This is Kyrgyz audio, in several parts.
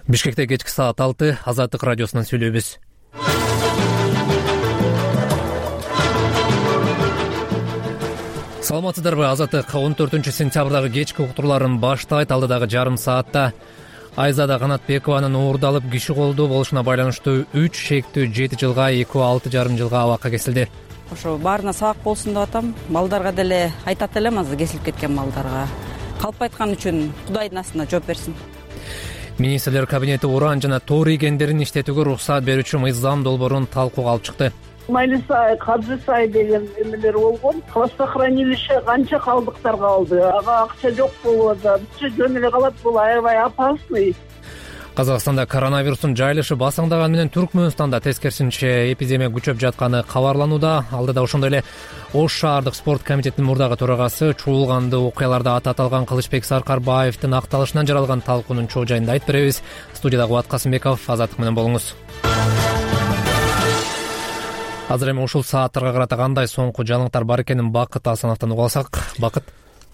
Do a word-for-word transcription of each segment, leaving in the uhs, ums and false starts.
Бишкекте кечки саат алты Азаттык радиосунан сүйлөйбүз. Саламатсыздарбы? Азаттык он төртүнчү сентябрдагы кечки уктурууларын баштайт. Алдыдагы жарым саатта Айзада Канатбекованын уурдалып киши колдуу болушуна байланыштуу үч шектүү жети жылга, экөө алты жарым жылга абакка кесилди. Ошо баарына сабак болсун деп атам. Малдарга деле айтат элем, азыр кесилип кеткен малдарга калп айткан үчүн Кудайдын астына жооп берсин. Министрлер кабинети уран жана тоор ийгендерин иштетүүгө уруксат берүүчү мыйзам долбоорун талкууга алып чыкты. Майлисай, Кадзысай деген эмелер болгон. Хвостохранилище канча калдыктар калды. Ага акча жок болуп атат. Бизче жөн эле калат, бул аябай опасный. Казакстанда коронавирустун жайылышы басаңдаган менен Түркмөнстанда тескерисинче эпидемия күчөп жатканы кабарланууда. Алдыда ошондой эле Ош шаардык спорт комитетинин мурдагы төрагасы чуулганды окуяларда ата аталган Кылычбек Саркарбаевдин акталышынан жаралган талкуунун чоо жайында айтып беребиз. Студияда Кубат Касымбеков, Азаттык менен болуңуз. Азыр эми ушул сааттарга карата кандай соңку жаңылыктар бар экенин Бакыт Асановдон угуп алсак. Бакыт.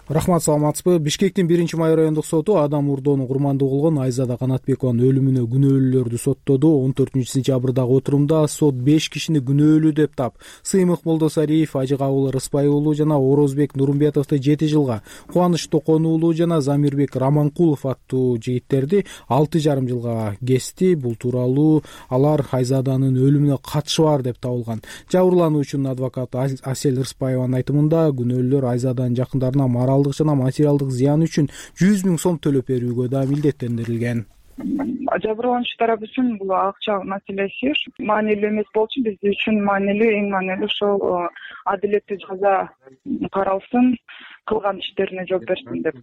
Рахмат, саламатсызбы? Бишкектин биринчи май райондук соту адам урдоону курмандуу кылган Айзада Канатбекованын өлүмүнө күнөөлүүлөрдү соттоду. он төртүнчү сентябрдагы отурумда сот беш кишини күнөөлүү деп тап. Сыймык Молдосариев, Ажыкабыл Рыспай уулу жана Орозбек Нурумбетовду жети жылга, Кубаныч Токон уулу жана Замирбек Раманкулов аттуу жигиттерди алты жарым жылга кести. Бул тууралуу алар Айзаданын өлүмүнө катышы бар деп табылган. Жабырлануучунун адвокаты Асель Рыспаеванын айтымында күнөөлүүлөр Айзаданын жакындарына моралдык жана материалдык зыян үчүн жүз миң сом төлөп берүүгө да милдеттендирилген. Жабырлануучу тарап үчүн бул акча маселеси маанилүү эмес болчу. Биз үчүн маанилүү, эң маанилүү ошол адилеттүү жаза каралсын, кылган иштерине жооп берсин деп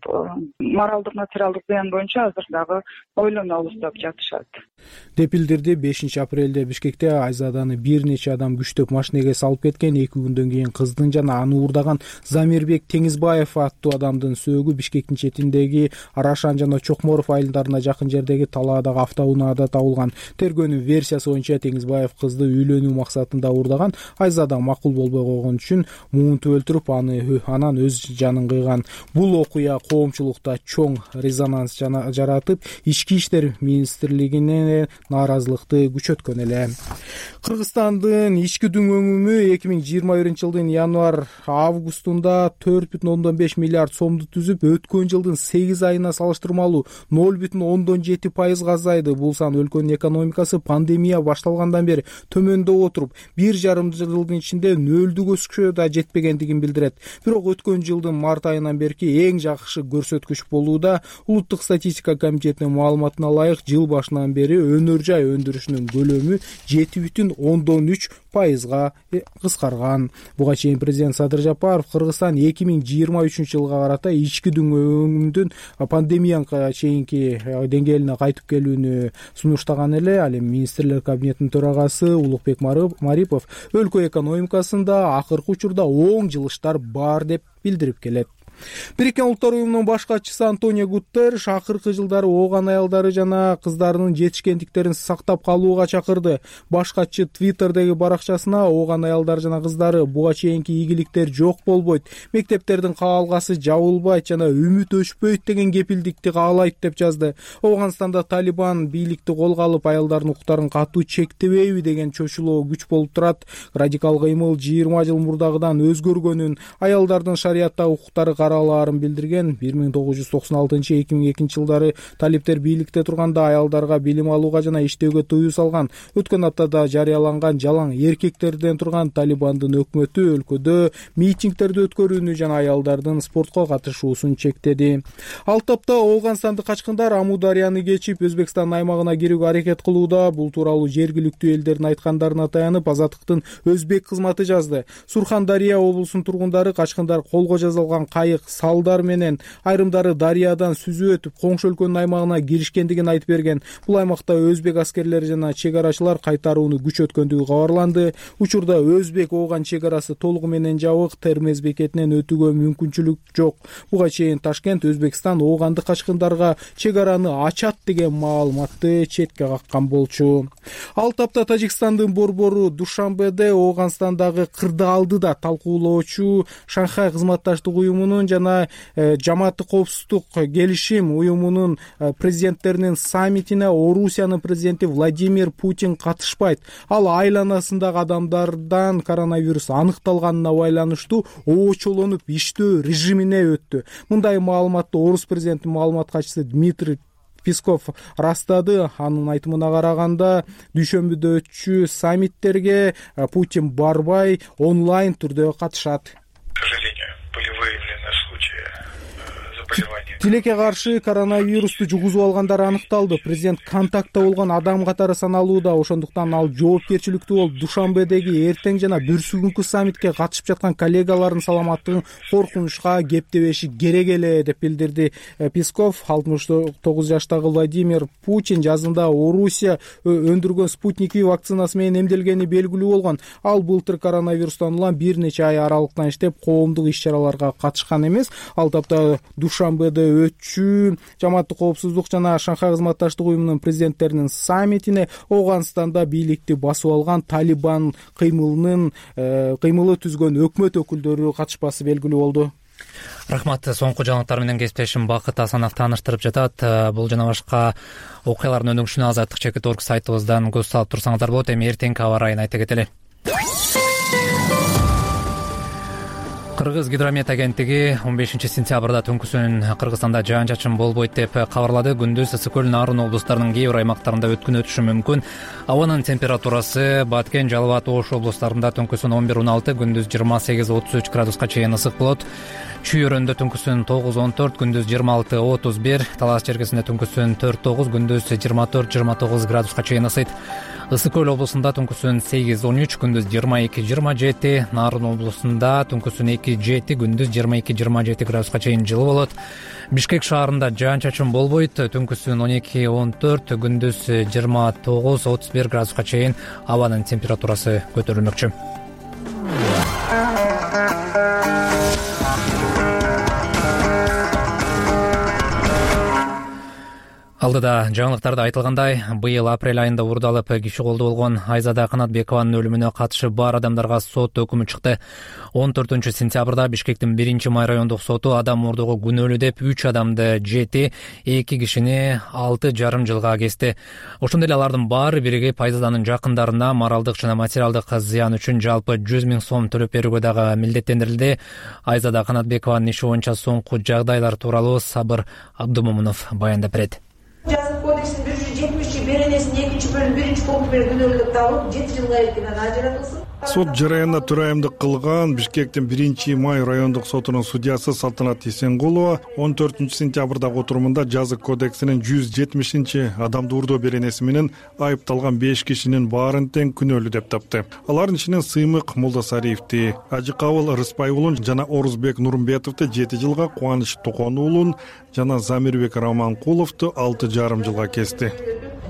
моралдык, материалдык зыян боюнча азыр дагы ойлонобуз деп жатышат. Деп билдирди. бешинчи апрелде Бишкекте Айзаданы бир нече адам күчтөп машинеге салып кеткен. эки күндөн кийин кыздын жана аны уурдаган Замирбек Теңизбаев аттуу адамдын сөөгү Бишкектин четиндеги Арашан жана Чокморов айылдарына жакын жердеги талаадагы автоунаада табылган. Тергөөнүн версиясы боюнча Теңизбаев кызды үйлөнүү максатында уурдаган. Айзада макул болбой койгон үчүн муунтуп өлтүрүп, аны анан өз жанын кыйган. Бул окуя коомчулукта чоң резонанс жаратып, Ички иштер министрлигине нааразылыкты күчөткөн эле. Кыргызстандын ички дүңөмү эки миң жыйырма биринчи жылдын январь августунда төрт бүтүн ондон беш миллиард сомду түзүп, өткөн жылдын сегиз айына салыштырмалуу ноль бүтүн ондон жети пайызга азайды. Бул сан өлкөнүн экономикасы пандемия башталгандан бери төмөндөп отуруп, бир жарым жылдын ичинде нөлдүгө да жетпегендигин билдирет. Бирок өткөн жылдын март айынан берки эң жакшы көрсөткүч болууда. Улуттук статистика комитетинин маалыматына ылайык, жыл башынан бери өнөр жай өндүрүшүнүн көлөмү жети бүтүн ондон үч пайызга кыскарган. Буга чейин президент Садыр Жапаров Кыргызстан эки миң жыйырма үчүнчү жылга карата ички дүңөмүндүн пандемияга чейинки деңгээлине кайтып келүүнү сунуштаган эле. Ал эми министрлер кабинетинин төрагасы Улукбек Марипов өлкө экономикасында акыркы учурда оң жылыштар бар деп билдирип келет. Бириккен Улуттар уюмунун баш катчысы Антонио Гутерриш акыркы жылдары ооган аялдары жана кыздарынын жетишкендиктерин сактап калууга чакырды. Баш катчы Твиттердеги баракчасына ооган аялдар жана кыздары буга чейинки ийгиликтер жок болбойт, мектептердин каалгасы жабылбайт жана үмүт өчпөйт деген кепилдикти каалайт деп жазды. Афганистанда Талибан бийликти колго алып, аялдардын укуктарын катуу чектебейби деген чочулоо күч болуп турат. Радикал кыймыл жыйырма жыл мурдагыдан өзгөргөнүн, аялдардын шарияттагы укуктары каралаарын билдирген. бир миң тогуз жүз токсон алтынчы эки миң экинчи жылдары талиптер бийликте турганда аялдарга билим алууга жана иштөөгө тыюу салган. Өткөн аптада жарыяланган жалаң эркектерден турган Талибандын өкмөтү өлкөдө митингдерди өткөрүүнү жана аялдардын спортко катышуусун чектеди. Ал тапта Афганстандык качкындар Амударияны кечип Өзбекстан аймагына кирүүгө аракет кылууда. Бул тууралуу жергиликтүү элдердин айткандарына таянып Азаттыктын өзбек кызматы жазды. Сурхандария облусунун тургундары качкындар колго жазылган кайык, салдар менен айрымдары дарыядан сүзүп өтүп коңшу өлкөнүн аймагына киришкендигин айтып берген. Бул аймакта өзбек аскерлери жана чек арачылар кайтарууну күчөткөндүгү кабарланды. Учурда өзбек-Афган чек арасы толугу менен жабык, Термез бекетинен өтүүгө мүмкүнчүлүк жок. Буга чейин Ташкент Өзбекстан Афгандык качкындарга чек араны ачат деген маалыматты четке каккан болчу. Ал тапта Тажикстандын борбору Душанбеде Афганстандагы кырдаалды да талкуулоочу Шанхай кызматташтык уюмунун жана жамааттык коопсуздук келишим уюмунун президенттеринин саммитине Орусиянын президенти Владимир Путин катышпайт. Ал айланасындагы адамдардан коронавирус аныкталганына байланыштуу оочолонуп иштөө режимине өттү. Мындай маалыматты Орус президентинин маалымат катчысы Дмитрий Песков растады. Анын айтымына караганда, дүйшөмбүдө саммиттерге Путин барбай, онлайн түрдө катышат. К сожалению, были выявлены случаи заболевания. Тилекке каршы коронавирусту жугузуп алгандар аныкталды. Президент контактта болгон адам катары саналууда. Ошондуктан ал жоопкерчиликтүү болуп, Душанбедеги эртең жана бүрсүгүнкү саммитке катышып жаткан коллегаларынын саламаттыгын коркунучка кептебеши керек эле деп билдирди Песков. алтымыш тогуз жаштагы Владимир Путин жазында Орусия өндүргөн Спутник V вакцинасы менен эмделгени белгилүү болгон. Ал былтыр коронавирустан улам бир нече ай аралыктан иштеп, коомдук иш-чараларга катышкан эмес. Ал тапта Душанбеде өтчү жамааттык коопсуздук жана Шанхай кызматташтык уюмунун президенттеринин саммитине Ооганстанда бийликти басып алган Талибан кыймылынын кыймылы түзгөн өкмөт өкүлдөрү катышпасы белгилүү болду. Рахмат. Соңку жаңылыктар менен кесиптешим Бакыт Асанов тааныштырып жатат. Бул жана башка окуялардын өнүгүшүнө азаттык чекит орг сайтыбыздан көз салып турсаңыздар болот. Эми эртеңки аба ырайын айта кетели. Кыргыз гидромет агенттиги он бешинчи сентябрда түнкүсүн Кыргызстанда жаан-чачын болбойт деп кабарлады. Күндүз ысык көл, Нарын облустарынын кээ бир аймактарында өткүн өтүшү мүмкүн. Абанын температурасы Баткен, Жалал абад, Ош облустарында түнкүсүн он бир он алты, күндүз жыйырма сегиз отуз үч градуска чейин ысык болот. Чүйөрөндө түнкүсүн тогуз он төрт, күндүз жыйырма алты отуз бир, Талас чергесинде түнкүсүн төрт тогуз, күндүз жыйырма төрт жыйырма тогуз градуска чейин ысыйт. Ысык көл облусунда түнкүсүн сегиз он үч, күндүз жыйырма эки жыйырма жети, Нарын облусунда түнкүсүн эки жети, күндүз жыйырма эки жыйырма жети градуска чейин жылы болот. Бишкек шаарында жаан-чачын болбойт, түнкүсүн он эки он төрт, күндүз жыйырма тогуз отуз бир градуска чейин абанын температурасы көтөрүлмөкчү. Алдыда жаңылыктарда айтылгандай, быйыл апрель айында уурдалып киши колдо болгон Айзада Канатбекованын өлүмүнө катышы бар адамдарга сот өкүмү чыкты. он төртүнчү сентябрда Бишкектин биринчи май райондук соту адам мурдоого күнөөлүү деп үч адамды жети, эки кишини алты жарым жылга кести. Ошондой эле алардын баары биригип Айзаданын жакындарына моралдык жана материалдык зыян үчүн жалпы жүз миң сом төлөп берүүгө дагы милдеттендирилди. Айзада Канатбекованын иши боюнча соңку жагдайлар тууралуу Сабыр Абдумомунов баяндап берет. Жазык кодекстин бир жүз жетимиш беренесинин экинчи бөлүмү биринчи пункту менен күнөөлүү табылып, жети жылга эркинен ажыратылсын. Сот жараянына төрайымдык кылган Бишкектин биринчи май райондук сотунун судьясы Салтанат Эсенгулова он төртүнчү сентябрдагы отурумунда жазык кодексинин жүз жетимишинчи адамды уурдоо беренеси менен айыпталган беш кишинин баарын тең күнөөлүү деп тапты. Алардын ичинен Сыймык Молдосариевди, Ажыкабыл Рыспай уулун жана Орузбек Нурмбетовду жети жылга, Кубаныч Токон уулун жана Замирбек Раманкуловду алты жарым жылга кести.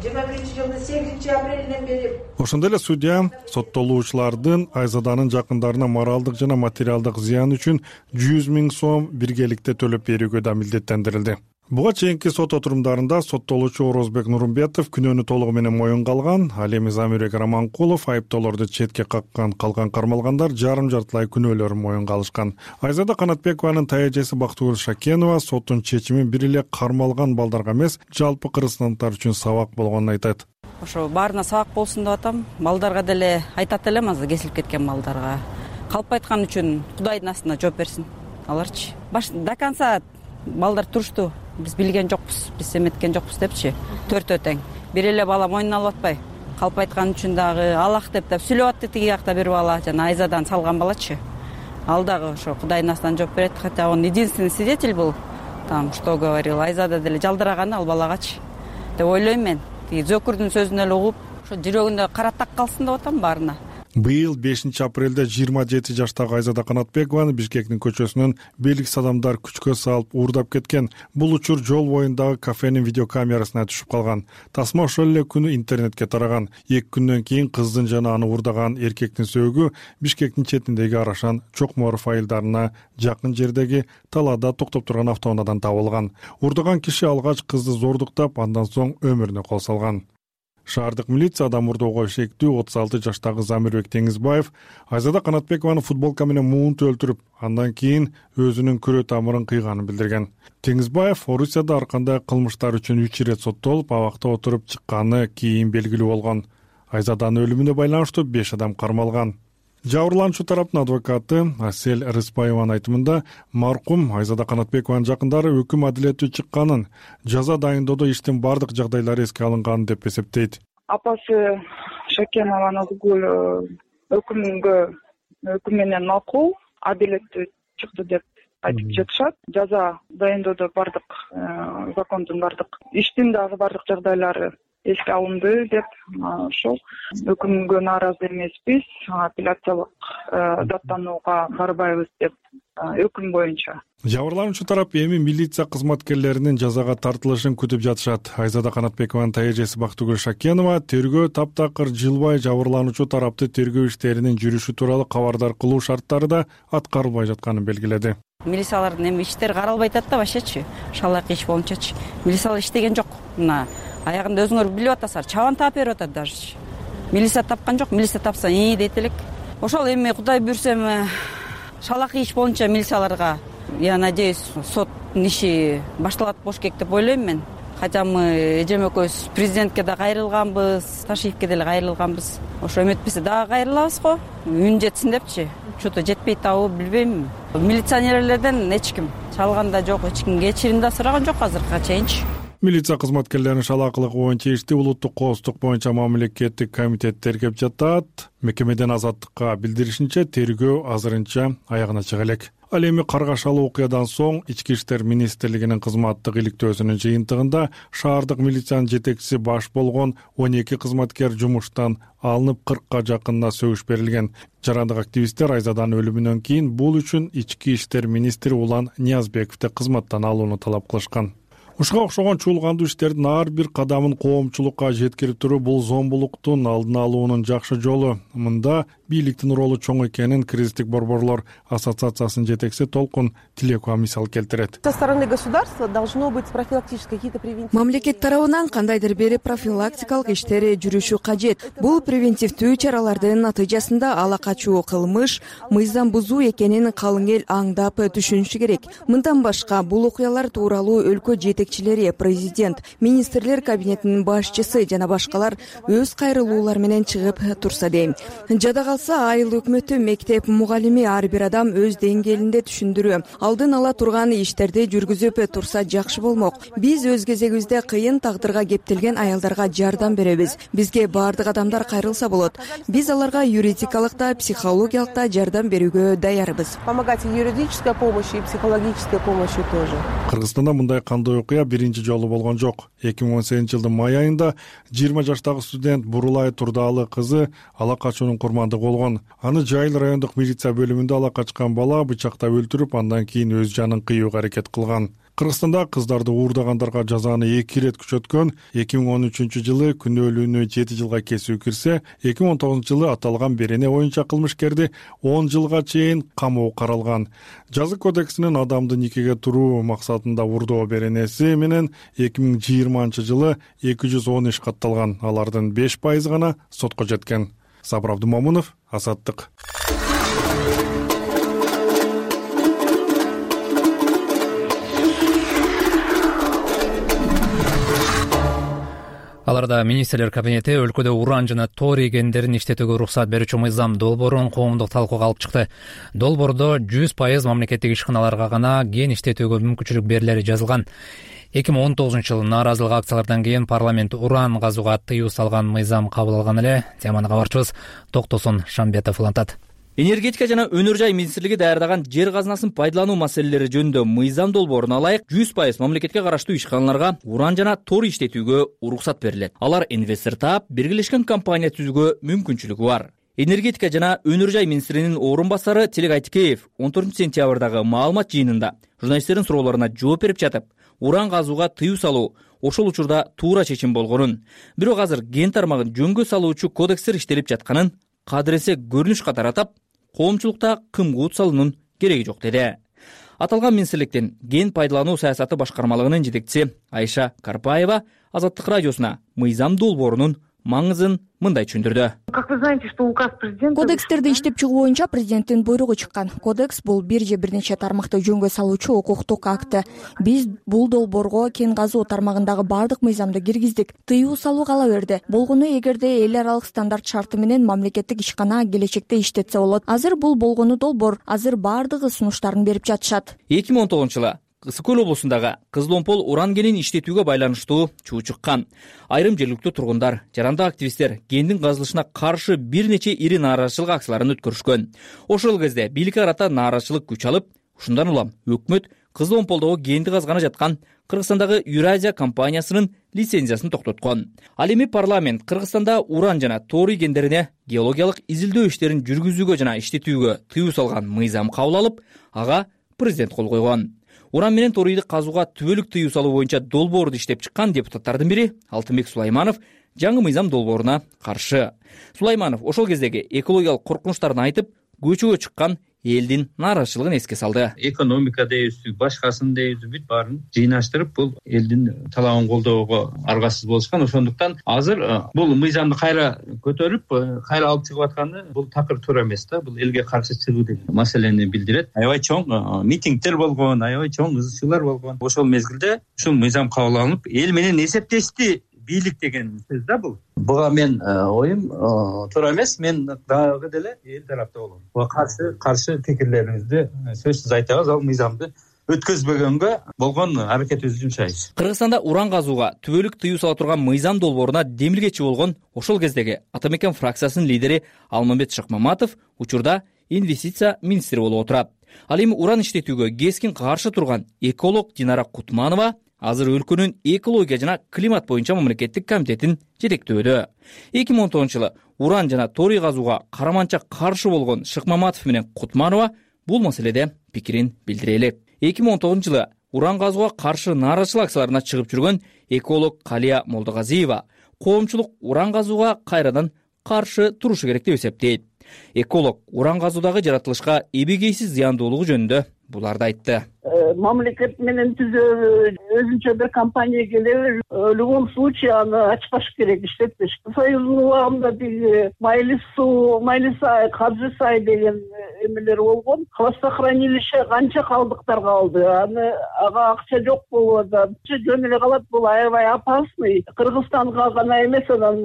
жыйырма биринчи жылдын сегизинчи апрелинен бери Ошондой эле судья соттолуучулардын Айзаданын жакындарына моралдык жана материалдык зыян үчүн жүз миң сом биргеликте төлөп берүүгө да милдеттендирилди. Буга чейинки сот отурумдарында соттолуучу Орозбек Нурмбетов күнөөнү толугу менен моюнга алган, ал эми Замирбек Раманкулов айыптоолорду четке каккан калган кармалгандар жарым жартылай күнөөлөрүн моюнга алышкан. Айзада Канатбекованын таяжеси Бактыгүл Шакенова соттун чечимин бир эле кармалган балдарга эмес, жалпы кыргызстандыктар үчүн сабак болгонун айтат. Ошо баарына сабак болсун деп атам. Балдарга деле айтат элем, азыр кесилип кеткен балдарга. Калп айткан үчүн Кудайдын астына жооп берсин. Аларчы баш до конца балдар турушту. Биз билген жокпуз, биз эметкен жокпуз депчи. Төртөө тең. Бир эле бала мойнуна алып атпай. Калп айткан үчүн дагы Аллах деп деп сүйлөп атты тиги жакта бир бала, жана Айзадан салган балачы. Ал дагы ошо Кудайдын астынан жооп берет, хотя он единственный свидетель был. Там что говорил, Айзада деле жалдыраганы ал балагачы деп ойлойм мен. Тиги Зөкүрдүн сөзүн эле угуп, ошо жүрөгүндө кара так калсын деп атам баарына. Быйыл бешинчи апрелде жыйырма жети жаштагы Айзада Канатбекованы Бишкектин көчөсүнөн белгисиз адамдар күчкө салып уурдап кеткен. Бул учур жол боюндагы кафенин видеокамерасына түшүп калган. Тасма ошол эле күнү интернетке тараган. эки күндөн кийин кыздын жана аны уурдаган эркектин сөөгү Бишкектин четиндеги Арашан Чокморов айылдарына жакын жердеги талаада токтоп турган автоунаадан табылган. Уурдаган киши алгач кызды зордуктап, андан соң өмүрүнө кол салган. Шаардык милицияда мурдоого шектүү отуз алты жаштагы Замирбек Теңизбаев Айзада Канатбекованы футболка менен муунтуп өлтүрүп, андан кийин өзүнүн күрө тамырын кыйганын билдирген. Теңизбаев Орусияда ар кандай кылмыштар үчүн үч ирет соттолуп, абакта отуруп чыкканы кийин белгилүү болгон. Айзаданын өлүмүнө байланыштуу беш адам кармалган. Жабырлануучу тараптын адвокаты Асель Рыспаеванын айтымында, маркум Айзада Канатбекованын жакындары өкүм адилеттүү чыкканын, жаза дайындоодо иштин бардык жагдайлары эске алынганын деп эсептейт. Апасы Шакенова Назгуль өкүмгө өкүм менен макул, адилеттүү чыкты деп айтып жатышат. Жаза дайындоодо бардык закондун бардык иштин дагы бардык жагдайлары эске алынды деп ошол өкүмгө нааразы эмеспиз, апелляциялык даттанууга барбайбыз деп өкүм боюнча. Жабырлануучу тарап эми милиция кызматкерлеринин жазага тартылышын күтүп жатышат. Айзада Канатбекованын тайэжеси Бактыгүл Шакенова тергөө таптакыр жылбай жабырлануучу тарапты тергөө иштеринин жүрүшү тууралуу кабардар кылуу шарттары да аткарылбай жатканын белгиледи. Милициялардын эми иштери каралбай атат да башачы, шалаак иш боюнчачы. Милициялар иштеген жок. Мына аягында өзүңөр билип атасыздар, чабан таап берип атат даже. Милиция тапкан жок, милиция тапса ии дейт элек. Ошол эми Кудай буйрсем шалаак иш боюнча милицияларга, я надеюсь, соттун иши башталат болуш керек деп ойлойм мен. Хотя мы эжем экөөбүз президентке да кайрылганбыз, Ташиевке деле кайрылганбыз. Ошо эметпесе дагы кайрылабыз го. Үн жетсин депчи. Что-то жетпейт табы билбейм. Милиционерлерден эч ким чалган да жок, эч ким кечирим да сураган жок азыркыга чейинчи. Милиция кызматкерлеринин шалаакылыгы боюнча ишти улуттук коопсуздук боюнча мамлекеттик комитет тергеп жатат. Мекемеден Азаттыкка билдиришинче, тергөө азырынча аягына чыга элек. Ал эми каргашалуу окуядан соң Ички иштер министрлигинин кызматтык иликтөөсүнүн жыйынтыгында шаардык милициянын жетекчиси баш болгон он эки кызматкер жумуштан алынып, кыркка жакынына сөгүш берилген. Жарандык активисттер Айзаданын өлүмүнөн кийин бул үчүн Ички иштер министри Улан Ниязбековди кызматтан алууну талап кылышкан. Ушуга окшогон чуулгандуу иштердин ар бир кадамын коомчулукка жеткирип туруу бул зомбулуктун алдын алуунун жакшы жолу. Мында бийликтин ролу чоң экенин Кризистик борборлор ассоциациясынын жетекчиси Толкун Тилекова мисал келтирет. Со стороны государства должно быть профилактические какие-то превентивные. Мамлекет тарабынан кандайдыр бир профилактикалык иштери жүрүшү кажет. Бул превентивдүү чаралардын натыйжасында ала качуу кылмыш, мыйзам бузуу экенин калың эл аңдап түшүнүшү керек. Мындан башка бул окуялар тууралуу өлкө жетекчилери, президент, министрлер кабинетинин башчысы жана башкалар өз кайрылуулары менен чыгып турса дейм. Жада калса айыл өкмөтү, мектеп мугалими ар бир адам өз деңгээлинде түшүндүрүү, алдын ала турган иштерди жүргүзүп турса жакшы болмок. Биз өз кезегибизде кыйын тагдырга кептелген аялдарга жардам беребиз. Бизге баардык адамдар кайрылса болот. Биз аларга юридикалык да, психологиялык да жардам берүүгө даярбыз. Помогать и юридической помощью, и психологической помощью тоже. Кыргызстанда мындай кандой окуя биринчи жолу болгон жок. эки миң он сегизинчи жылдын май айында жыйырма жаштагы студент Бурулай Турдаалы кызы ала качуунун курмандыгы болгон. Аны Жайыл райондук милиция бөлүмүндө ала качкан бала бычактап өлтүрүп, андан кийин өз жанын кыюуга аракет кылган. Кыргызстанда кыздарды уурдагандарга жазаны эки ирет күчөткөн. эки миң он үчүнчү жылы күнөөлүүнү жети жылга кесүү кирсе, эки миң он тогузунчу жылы аталган берене боюнча кылмышкерди он жылга чейин камоо каралган. Жаза кодексинин адамды никеге туруу максатында уурдоо беренеси менен эки миң жыйырманчы жылы эки жүз он иш катталган. Алардын беш пайызы гана сотко жеткен. Сабыр Абдумамунов, Азаттык. Аларда министрлер кабинети өлкөдө уран жана торий кендерин иштетүүгө уруксат берүүчү мыйзам долбоорун коомдук талкууга алып чыкты. Долбоордо жүз пайыз мамлекеттик ишканаларга гана кен иштетүүгө мүмкүнчүлүк берилери жазылган. эки миң он тогузунчу жылы нааразылык акциялардан кийин парламент уран казууга тыюу салган мыйзам кабыл алган эле. Теманы кабарчыбыз Токтосун Шамбетов улантат. Энергетика жана өнөр жай министрлиги даярдаган жер казынасын пайдалануу маселелери жөнүндө мыйзам долбооруна ылайык жүз пайыз мамлекетке караштуу ишканаларга уран жана торий иштетүүгө уруксат берилет. Алар инвестор таап, биргелешкен компания түзүүгө мүмкүнчүлүгү бар. Энергетика жана өнөр жай министринин орун басары Тилек Айтыкеев он төртүнчү сентябрдагы маалымат жыйынында журналисттердин суроолоруна жооп берип жатып, уран казууга тыюу салуу ошол учурда туура чечим болгонун, бирок азыр кен тармагын жөнгө салуучу кодекстер иштелип жатканын кадыресе көрүнүш катары атап, коомчулукта кымгуут салуунун кереги жок деди. Аталган министрликтин кен пайдалануу саясаты башкармалыгынын жетекчиси Айша Карпаева Азаттык радиосуна мыйзам долбоорунун маңызын мындай түшүндүрдү. Как вы знаете, что указ президента... Кодекстерди иштеп чыгуу боюнча президенттин буйругу чыккан. Кодекс бул бир же бир нече тармакты жөнгө салуучу укуктук акты. Биз бул долбоорго кен казуу тармагындагы баардык мыйзамды киргиздик. Тыюу салуу кала берди. Болгону эгерде эл аралык стандарт шарты менен мамлекеттик ишкана келечекте иштетсе болот. Азыр бул болгону долбоор. Азыр баардыгы сунуштарын берип жатышат. эки миң он тогузунчу жылы Ысык көл облусундагы Кызыломпол уран кенин иштетүүгө байланыштуу чуу чыккан. Айрым жергиликтүү тургундар, жарандык активисттер кендин казылышына каршы бир нече ири нааразычылык акцияларын өткөрүшкөн. Ошол кезде бийликке карата нааразычылык күч алып, ушундан улам өкмөт Кызыломполдогу кенди казганы жаткан Кыргызстандагы Юразия компаниясынын лицензиясын токтоткон. Ал эми парламент Кыргызстанда уран жана торий кендерине геологиялык изилдөө иштерин жүргүзүүгө жана иштетүүгө тыюу салган мыйзам кабыл алып, ага президент кол койгон. Уран менен торийди казууга түбөлүк тыюу салуу боюнча долбоорду иштеп чыккан депутаттардын бири Алтынбек Сулайманов жаңы мыйзам долбооруна каршы. Сулайманов ошол кездеги экологиялык коркунучтарын айтып, көчөгө чыккан элдин нааразычылыгын эске салды. Экономика дейбизби, башкасын дейбизби, бүт баарын жыйнаштырып, бул элдин талабын колдоого аргасыз болушкан. Ошондуктан азыр бул мыйзамды кайра көтөрүп, кайра алып чыгып атканы бул такыр туура эмес да. Бул элге каршы чыгуу деген маселени билдирет. Аябай чоң митингдер болгон, аябай чоң ызы чуулар болгон. Ошол мезгилде ушул мыйзам кабыл алынып, эл менен эсептешти бийлик деген сөз да бул. Буга мен оюм туура эмес, мен дагы деле эл тарапта болом. Буга каршы каршы пикирлерибизди сөзсүз айтабыз, ал мыйзамды өткөзбөгөнгө болгон аракетибизди жумшайбыз. Кыргызстанда уран казууга түбөлүк тыюу сала турган мыйзам долбооруна демилгечи болгон ошол кездеги Ата Мекен фракциясынын лидери Алмамбет Шыкмаматов учурда инвестиция министри болуп отурат. Ал эми уран иштетүүгө кескин каршы турган эколог Динара Кутманова азыр өлкөнүн экология жана климат боюнча мамлекеттик комитетин жетектөөдө. эки миң он тогузунчу жылы уран жана торий казууга караманча каршы болгон Шыкмаматов менен Кутманова бул маселеде пикирин билдире элек. эки миң он тогузунчу жылы уран казууга каршы нааразычылык акцияларына чыгып жүргөн эколог Калия Молдогазиева коомчулук уран казууга кайрадан каршы турушу керек деп эсептейт. Эколог уран казуудагы жаратылышка эбегейсиз зыяндуулугу жөнүндө буларды айтты. Мамлекет менен түзөө өзүнчө бир компания келеби, в любом случае аны ачпаш керек, иштетпеш. Союздун убагында тиги Майлис суу, Майлисай, Каджысай деген эмелер болгон. Хвостохранилище канча калдыктар калды. Аны ага акча жок болуп атат. Жөн эле калат, бул аябай опасный. Кыргызстанга гана эмес, анан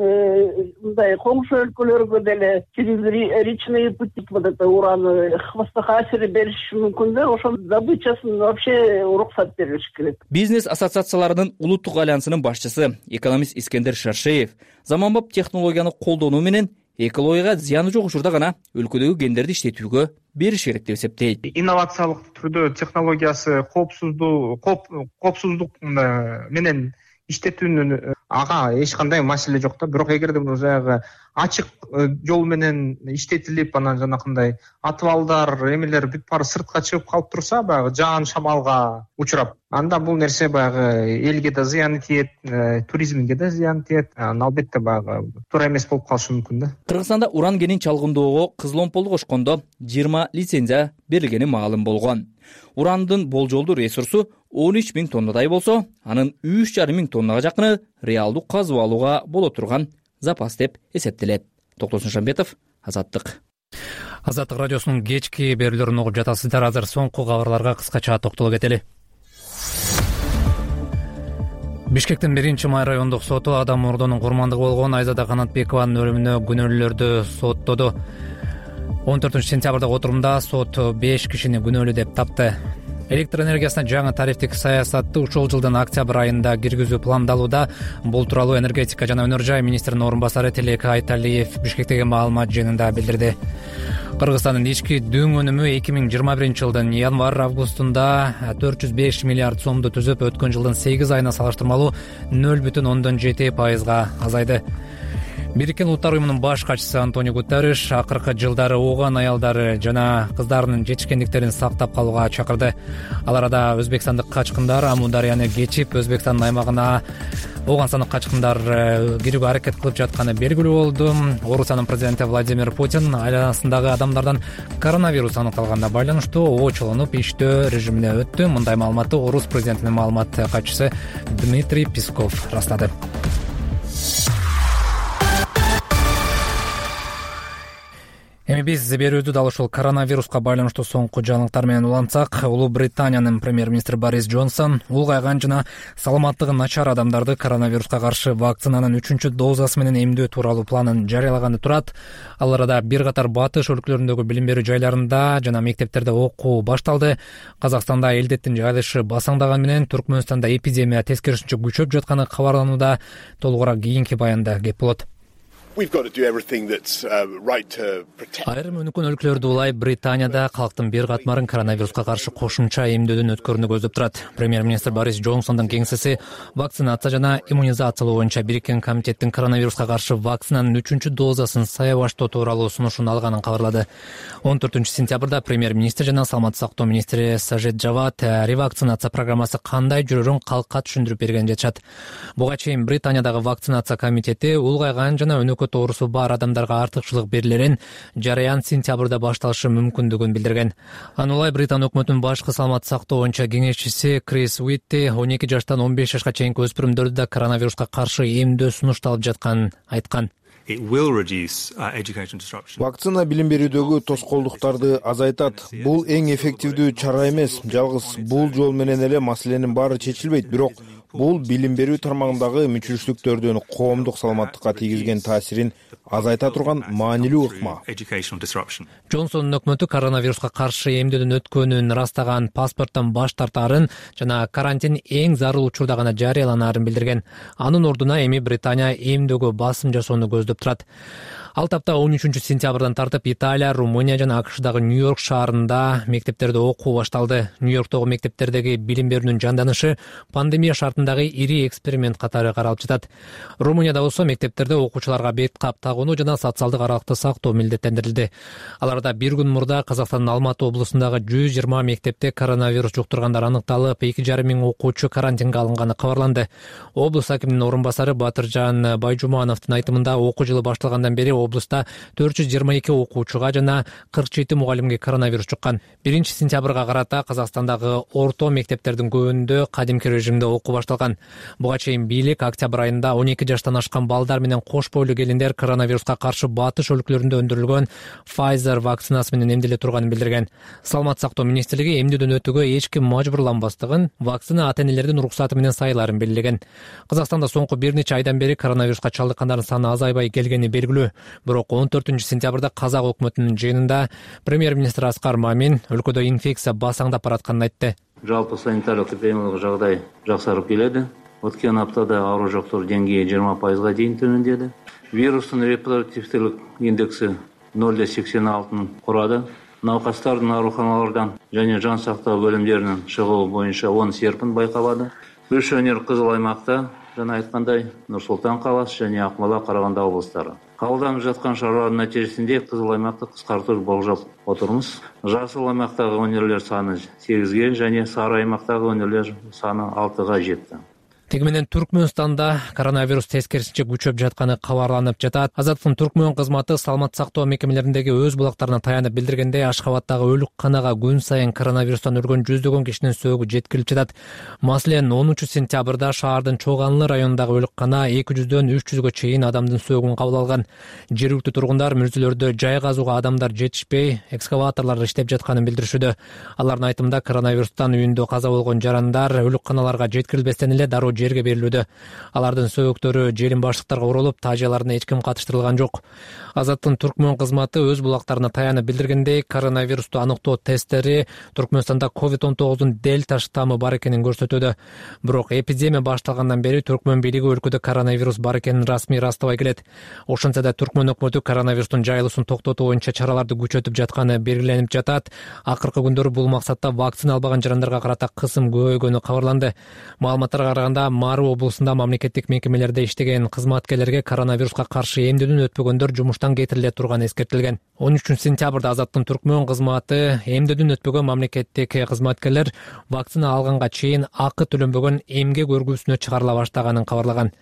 мындай коңшу өлкөлөргө деле через речные пути вот это уран хвостохасири бериши мүмкүн да. Ошол добычасын вообще уруксат берилиш керек. Бизнес ассоциацияларынын улуттук альянсынын башчысы экономист Искендер Шаршеев заманбап технологияны колдонуу менен экологияга зыяны жок учурда гана өлкөдөгү кендерди иштетүүгө бериш керек деп эсептейт. Инновациялык түрдө технологиясы коопсуздук коопсуздук менен иштетүүнүн ага эч кандай маселе жок да. Бирок эгерде баягы ачык жол менен иштетилип, анан жанакындай атыбалдар, эмелер бүт баары сыртка чыгып калып турса, баягы жаан шамалга учурап, анда бул нерсе баягы элге да зыяны тиет, туризмге да зыяны тиет. Албетте баягы туура эмес болуп калышы мүмкүн да. Кыргызстанда уран кенин чалгындоого Кызыломполду кошкондо жыйырма лицензия берилгени маалым болгон. Урандын болжолдуу ресурсу он үч миң тоннадай болсо, анын үч жарым миң тоннага жакыны реалдуу казып алууга боло турган запас деп эсептелет. Токтосун Шамбетов, Азаттык. Азаттык радиосунун кечки берүүлөрүн угуп жатасыздар. Азыр соңку кабарларга кыскача токтоло кетели. Бишкектин биринчи май райондук соту Адам Мордонун курмандыгы болгон Айзада Канатбекованын өлүмүнө күнөөлүүлөрдү соттоду. он төртүнчү сентябрдагы отурумда сот беш кишини күнөөлүү деп тапты. Электр энергиясына жаңы тарифтик саясатты ушул жылдын октябрь айында киргизүү пландалууда. Бул тууралуу энергетика жана өнөр жай министринин орун басары Тилек Айталиев Бишкектеги маалымат жыйынында билдирди. Кыргызстандын ички дүң өнүмү эки миң жыйырма биринчи жылдын январь-августунда төрт жүз беш миллиард сомду түзүп, өткөн жылдын сегиз айына салыштырмалуу нөл бүтүн ондон жети пайызга азайды. Бириккен Улуттар уюмунун баш катчысы Антонио Гутерриш акыркы жылдары ооган аялдары жана кыздарынын жетишкендиктерин сактап калууга чакырды. Ал арада өзбекстандык качкындар Аму дарыяны кечип, Өзбекстандын аймагына ооган сандык качкындар кирүүгө аракет кылып жатканы белгилүү болду. Орусиянын президенти Владимир Путин айланасындагы адамдардан коронавирус аныкталганына байланыштуу оочолонуп иштөө режимине өттү. Мындай маалыматты Орус президентинин маалымат катчысы Дмитрий Песков ырастады. Эми биз берүүбүздү дал ушул коронавируска байланыштуу соңку жаңылыктар менен улантсак, Улуу Британиянын премьер-министри Борис Джонсон улгайган жана саламаттыгы начар адамдарды коронавируска каршы вакцинанын үчүнчү дозасы менен эмдөө тууралуу планын жарыялаганы турат. Ал арада бир катар батыш өлкөлөрүндөгү билим берүү жайларында жана мектептерде окуу башталды. Казакстанда элдеттин жайылышы басаңдаган менен Түркмөнстанда эпидемия тескерисинче күчөп жатканы кабарланууда. Толугураак кийинки баянда кеп болот. Айрым өнүккөн өлкөлөрдү улай Британияда калктын бир катмарын коронавируска каршы кошумча эмдөөдөн өткөрүүнү көздөп турат. Премьер-министр Борис Джонсондун кеңсеси вакцинация жана иммунизациялоо боюнча бириккен комитеттин коронавируска каршы вакцинанын үчүнчү дозасын саябаштоо тууралуу сунушун алганын кабарлады. он төртүнчү сентябрда премьер-министр жана саламаттык сактоо министри Сажид Жавад ревакцинация программасы кандай жүрөрүн калкка түшүндүрүп берген жатышат. Буга чейин Британиядагы вакцинация комитети улгайган жана өнөкөт оорусу бар адамдарга артыкчылык берилерин жарыян сентябрда башталышы мүмкүндүгүн билдирген. Анылай Британ өкмөтүнүн башкы саламаттык сактоо боюнча кеңешчиси Крис Уитти он эки жаштан он беш жашка чейинки өспүрүмдөрдү да коронавируска каршы эмдөө сунушталып жатканын айткан. Вакцина билим берүүдөгү тоскоолдуктарды азайтат. Бул эң эффективдүү чара эмес. Жалгыз бул жол менен эле маселенин баары чечилбейт, бирок бул билим берүү тармагындагы мүчүлүштүктөрдүн коомдук саламаттыкка тийгизген таасирин азайта турган маанилүү ыкма. Джонсондун өкмөтү коронавируска каршы эмдөөдөн өткөнүн ырастаган паспорттон баш тартаарын жана карантин эң зарыл учурда гана жарыяланаарын билдирген. Анын ордуна эми Британия эмдөөгө басым жасоону көздөп турат. Ал тапта он үчүнчү сентябрдан тартып Италия, Румыния жана АКШдагы Нью-Йорк шаарында мектептерде окуу башталды. Нью-Йорктогу мектептердеги билим берүүнүн жанданышы пандемия шартындагы ири эксперимент катары каралып жатат. Румынияда болсо мектептерде окуучуларга бет кап тагууну жана социалдык аралыкты сактоо милдеттендирилди. Аларда бир күн мурда Казакстандын Алматы облусундагы жүз жыйырма мектепте коронавирус жуктургандар аныкталып, эки жарым миң окуучу карантинге алынганы кабарланды. Облус акиминин орун басары Батыржан Байжумановдун айтымында окуу жылы башталгандан бери облуста төрт жүз жыйырма эки окуучуга жана кырк жети мугалимге коронавирус жуккан. биринчи сентябрга карата Казакстандагы орто мектептердин көбүндө кадимки режимде окуу башталган. Буга чейин бийлик октябрь айында он эки жаштан ашкан балдар менен кош бойлуу келиндер коронавируска каршы батыш өлкөлөрүндө өндүрүлгөн Pfizer вакцинасы менен эмделе турганын билдирген. Саламаттык сактоо министрлиги эмдөөдөн өтүүгө эч ким мажбурланбастыгын, вакцина ата-энелердин уруксаты менен сайыларын белгилеген. Казакстанда соңку бир нече айдан бери коронавируска чалдыккандардын саны азайбай келгени белгилүү. Бирок он төртүнчү сентябрда казак өкмөтүнүн жыйынында премьер-министр Аскар Мамин өлкөдө инфекция басаңдап баратканын айтты. Жалпы санитарлык эпидемиологиялык жагдай жаксарып келеди. Өткөн аптада ауру жоктор деңгээи жыйырма пайызга чейин төмөндөдү. Вирустун репродуктивдүүлүк индекси ноль да сексен алтыны курады. Наукастардын ооруканалардан жана жан сактоо бөлүмдөрүнүн чыгуу боюнча оң серпин байкалады. Үч өңүр кызыл аймакта, жана айткандай, Нур Султан каласы жана Акмола, Караганда облустары. Кабылданып жаткан чаралардын натыйжасында кызыл аймакты кыскартууну болжоп отурмуз. Жасыл аймактагы өңүрлөр саны сегизге жана сары аймактагы өңүрлөр саны алтыга жетти. Теги менен Түркмөнстанда коронавирус тескерисинче күчөп жатканы кабарланып жатат. Азаттыктын Түркмөн кызматы саламаттык сактоо мекемелериндеги өз булактарына таянып билдиргендей, Ашхабадтагы өлүкканага күн сайын коронавирустан өлгөн жүздөгөн кишинин сөөгү жеткирип жатат. Маселен, онунчу сентябрда шаардын Чоганлы районундагы өлүккана эки жүздөн үч жүзгө чейин адамдын сөөгүн кабыл алган. Жергиликтүү тургундар мүрзөлөрдө жай казууга адамдар жетишпей, экскаваторлор иштеп жатканын билдиришүүдө. Алардын айтымында коронавирустан үйүндө каза болгон жарандар өлүкканаларга жеткирилбестен эле дароо жерге берилүүдө. Алардын сөөгүктөрү желин баштыктарга урулуп, тажыяларына эч ким катыштырылган жок. Азаттыктын Түркмөн кызматы өз булактарына таянып билдиргендей, коронавирусту аныктоо тесттери Түркмөнстанда ковид он тогуздун дельта штаммы бар экенин көрсөтүүдө. Бирок эпидемия башталгандан бери Түркмөн бийлиги өлкөдө коронавирус бар экенин расмий ырастабай келет. Ошентсе да Түркмөн өкмөтү коронавирустун жайылуусун токтотуу боюнча чараларды күчөтүп жатканы белгиленип жатат. Акыркы күндөрү бул максатта вакцина албаган жарандарга карата кысым көбөйгөнү кабарланды. Маалыматтарга караганда, Мару облусунда мамлекеттик мекемелерде иштеген кызматкерлерге коронавируска каршы эмдөөдөн өтпөгөндөр жумуштан кетириле турганы эскертилген. он үчүнчү сентябрда Азаттыктын Түркмөн кызматы эмдөөдөн өтпөгөн мамлекеттик кызматкерлер вакцина алганга чейин акы төлөнбөгөн эмгек өргүүсүнө чыгарыла баштаганын кабарлаган.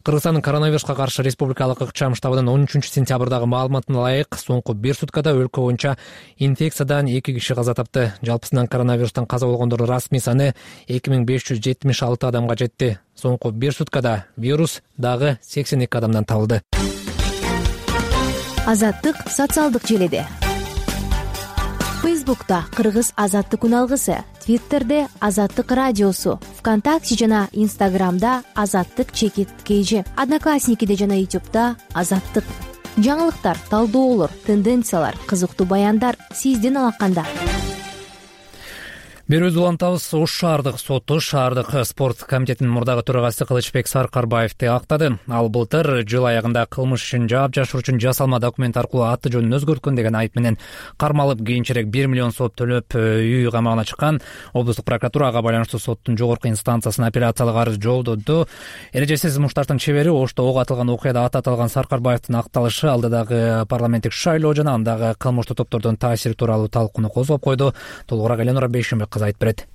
Кыргызстандын коронавируска каршы республикалык ыкчам штабынын он үчүнчү сентябрдагы маалыматына ылайык, соңку бир суткада өлкө боюнча инфекциядан эки киши каза тапты. Жалпысынан коронавирустан каза болгондордун расмий саны эки миң беш жүз жетимиш алты адамга жетти. Соңку бир суткада вирус дагы сексен эки адамдан табылды. Азаттык социалдык желиде. Фейсбукта Кыргыз азаттык үналгысы, Твиттерде Азаттык радиосу, ВКонтакте жана Инстаграмда Азаттык чекит kg, Одноклассникиде жана Ютубта Азаттык. Жаңылыктар, талдоолор, тенденциялар, кызыктуу баяндар сиздин алаканда. Берүүбүздү улантабыз. Ош шаардык соту шаардык спорт комитетинин мурдагы төрагасы Кылычбек Саркарбаевди актады. Ал былтыр жыл аягында кылмыш үчүн жаап жашыруу үчүн жасалма документ аркылуу аты жөнүн өзгөрткөн деген айып менен кармалып, кийинчерээк бир миллион сом төлөп үй камагына чыккан. Облустук прокуратура ага байланыштуу соттун жогорку инстанциясына апелляциялык арыз жолдоду. Эрежесиз мушташтын чебери Ошто ок атылган окуяда аты аталган Саркарбаевдин акталышы алдыдагы парламенттик шайлоо жана андагы кылмыштуу топтордун таасири тууралуу талкууну козгоп койду. Толугураак Эленора Бейшенбек айтып берет.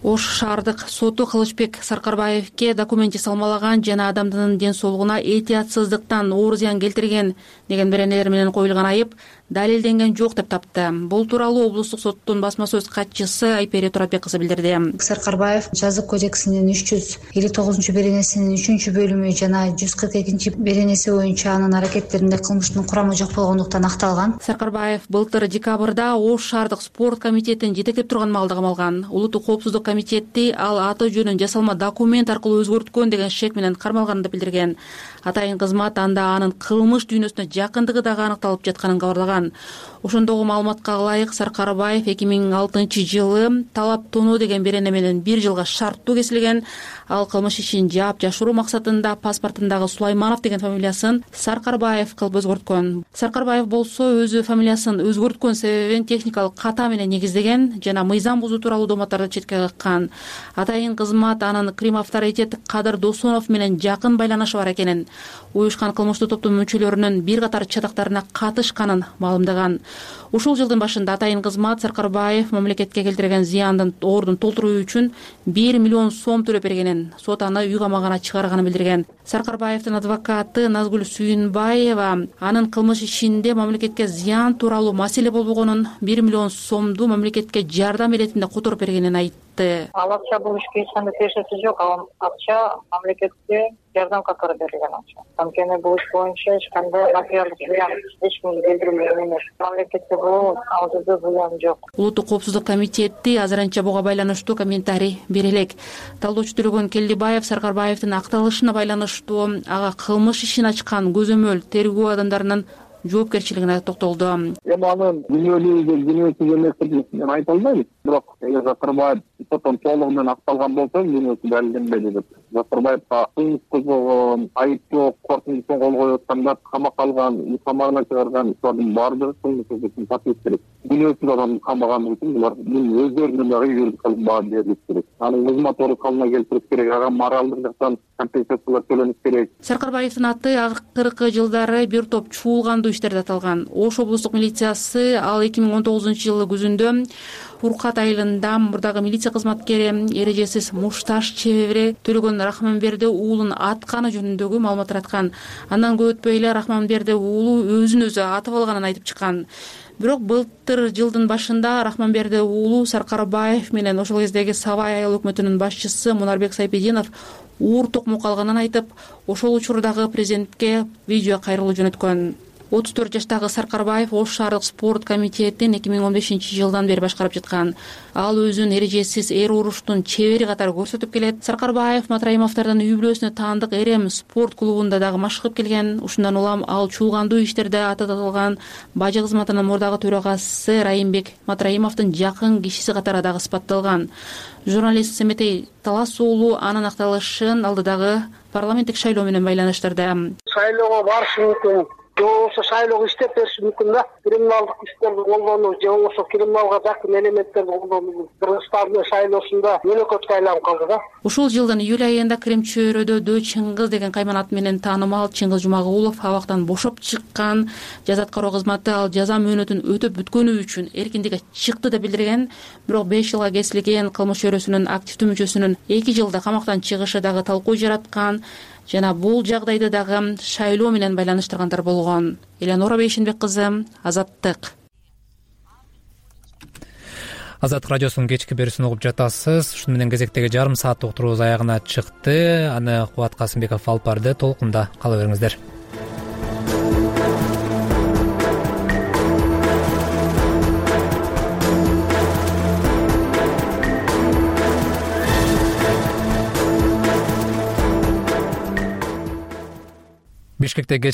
Ош шаардык соту Кылычбек Саркарбаевке документ жасалмалаган жана адамдын ден соолугуна этиятсыздыктан оор зыян келтирген деген беренелер менен коюлган айып далилденген жок деп тапты. Бул тууралуу облустук соттун басма сөз катчысы Айпери Туратбек кызы билдирди. Саркарбаев жазык кодексинин үч жүз элүү тогузунчу беренесинин үчүнчү бөлүмү жана жүз кырк экинчи беренеси боюнча анын аракеттеринде кылмыштын курамы жок болгондуктан акталган. Саркарбаев былтыр декабрда Ош шаардык спорт комитетин жетектеп турган маалда камалган. Улуттук коопсуздук комитети ал аты жөнүн жасалма документ аркылуу өзгөрткөн деген шек менен кармалганын да билдирген. Атайын кызмат анда анын кылмыш дүйнөсүнө жакындыгы дагы аныкталып жатканын кабарлаган. Ошондогу маалыматка ылайык Саркарбаев эки миң алтынчы жылы талап-тоноо деген берене менен бир жылга шарттуу кесилген. Ал кылмыш ишин жаап жашыруу максатында паспортундагы Сулайманов деген фамилиясын Саркарбаев кылып өзгөрткөн. Саркарбаев болсо өзү фамилиясын өзгөрткөн себебин техникалык ката менен негиздеген жана мыйзам бузуу тууралуу дооматтарды четке каккан. Атайын кызмат анын Крим авторитет Кадыр Досонов менен жакын байланышы бар экенин, уюшкан кылмыштуу топтун мүчөлөрүнүн бир катар чатактарына катышканын маалымдаган. Ушул жылдын башында атайын кызмат Саркарбаев мамлекетке келтирген зыяндын ордун толтуруу үчүн бир миллион сом төлөп бергенин, сот аны үй камагына чыгарганын билдирген. Саркарбаевдин адвокаты Назгүл Сүйүнбаева анын кылмыш ишинде мамлекетке зыян тууралуу маселе болбогонун, бир миллион сомду мамлекетке жардам иретинде которуп бергенин айтты. Ал акча бул ишке эч кандай тиешеси жок. Ал акча мамлекетке жардам катары берилген акча. Анткени бул иш боюнча эч кандай материалдык зыян эч кимге келтирилген эмес. Мамлекетке бул ал жерде зыян жок. Улуттук коопсуздук комитети азырынча буга байланыштуу комментарий бере элек. Талдоочу Төлөгөн Келдибаев Саркарбаевдин акталышына байланыштуу ага кылмыш ишин ачкан көзөмөл тергөө адамдарынын жоопкерчилигине токтолду. Эми анын күнөөлүү күнөөсүз эмес мен айта албайм. Бирок эгер Саркарбаев соттон толугу менен акталган болсо, күнөөсү далилденбеди деп. Саркарбаевга кылмыш козгогон, айып жок, коркунучтан кол коюп аткандар, камакка алган, үй камагына чыгарган иштөрдүн баардыгы кылмыш тапкыр керек. Күнөөсүз адам камаган үчүн булар өздөрүнүн дагы юридикалык баа берилиш керек. Анын кызмат калына келтирип керек, ага моралдык жактан компенсациялар төлөнүш керек. Саркарбаевдин аты акыркы жылдары бир топ чуулгандуу иштерде аталган. Ош облустук милициясы ал эки миң он тогузунчу жылы күзүндө Уркат айылында мурдагы милиция кызматкери эрежесиз мушташ чебери Төлөгөн Рахманберди уулун атканы жөнүндөгү маалымат тараткан. Андан көп өтпөй эле Рахманберди уулу өзүн өзү атып алганын айтып чыккан. Бирок былтыр жылдын башында Рахманберди уулу Саркарбаев менен ошол кездеги Сабай айыл өкмөтүнүн башчысы Мунарбек Сайпединов уур токмо калганын айтып, ошол учурдагы президентке видео кайрылуу жөнөткөн. отуз төрт жаштагы Саркарбаев Ош шаардык спорт комитетин эки миң он бешинчи жылдан бери башкарып жаткан. Ал өзүн эрежесиз эр уруштун чебери катары көрсөтүп келет. Саркарбаев Матраимовдордун үй бүлөсүнө таандык Эрем спорт клубунда дагы машыгып келген. Ушундан улам ал чуулгандуу иштерде аты аталган бажы кызматынын мурдагы төрагасы Райымбек Матраимовдун жакын кишиси катары дагы сыпатталган. Журналист Семетей Талас уулу анын акталышын алдыдагы парламенттик шайлоо менен байланыштырды. Шайлоого барышы мүмкүн. Же болбосо шайлоого иштеп бериши мүмкүн да. Криминалдык иштерди колдонуу же болбосо криминалга жакын элементтерди колдонуу Кыргызстандын шайлоосунда өнөкөткө айланып калды да. Ушул жылдын июль айында Крим чөйрөдө Чыңгыз деген кайман аты менен таанымал Чыңгыз Жумагулов абактан бошоп чыккан. Жаза аткаруу кызматы ал жаза мөөнөтүн өтөп бүткөнү үчүн эркиндикке чыкты деп билдирген. Бирок беш жылга кесилген кылмыш чөйрөсүнүн активдүү мүчөсүнүн эки жылда камактан чыгышы дагы талкуу жараткан. Жана бул жагдайды дагы шайлоо менен байланыштыргандар болгон. Эленора Бейшенбек кызы, Азаттык. Азаттык радиосунун кечки берүүсүн угуп жатасыз. Ушуну менен кезектеги жарым сааттык уктуруубуз аягына чыкты. Аны Кубат Касымбеков алып барды. Толкунда кала бериңиздер. Бишкекте